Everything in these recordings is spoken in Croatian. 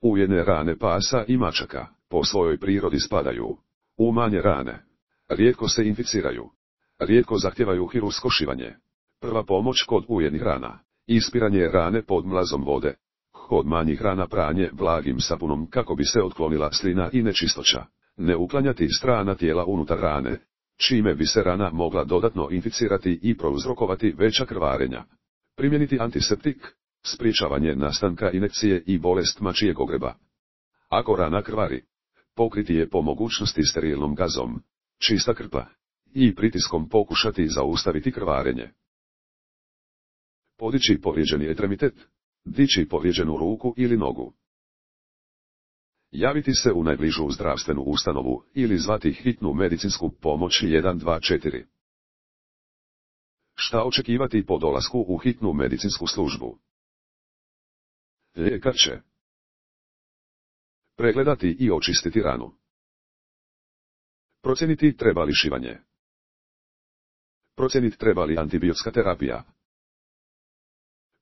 U jedne rane pasa i mačaka, po svojoj prirodi spadaju u manje rane. Rijetko se inficiraju. Rijetko zahtijevaju hirurško šivanje. Prva pomoć kod ujednih rana. Ispiranje rane pod mlazom vode. Kod manjih rana pranje blagim sapunom kako bi se otklonila slina i nečistoća. Ne uklanjati strana tijela unutar rane, čime bi se rana mogla dodatno inficirati i prouzrokovati veća krvarenja. Primijeniti antiseptik, sprječavanje nastanka inekcije i bolest mačijeg ogreba. Ako rana krvari, pokriti je po mogućnosti sterilnom gazom, čista krpa, i pritiskom pokušati zaustaviti krvarenje. Podići povrijeđeni ekstremitet, dići povrijeđenu ruku ili nogu. Javiti se u najbližu zdravstvenu ustanovu ili zvati hitnu medicinsku pomoć 124. Šta očekivati po dolasku u hitnu medicinsku službu? Ljekar će pregledati i očistiti ranu. Procijeniti treba li šivanje. Procijeniti treba li antibiotska terapija.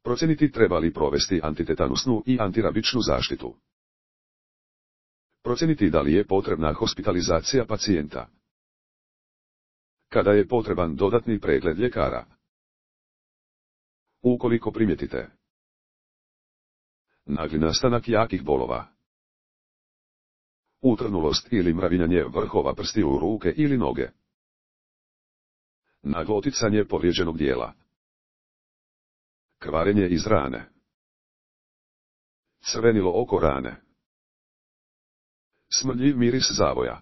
Procijeniti treba li provesti antitetanusnu i antirabičnu zaštitu. Procijeniti da li je potrebna hospitalizacija pacijenta. Kada je potreban dodatni pregled ljekara. Ukoliko primijetite nagli nastanak jakih bolova, utrnulost ili mravinjanje vrhova prstiju ruke ili noge, naglo oticanje povrijeđenog dijela, krvarenje iz rane, crvenilo oko rane, smrdljiv miris zavoja.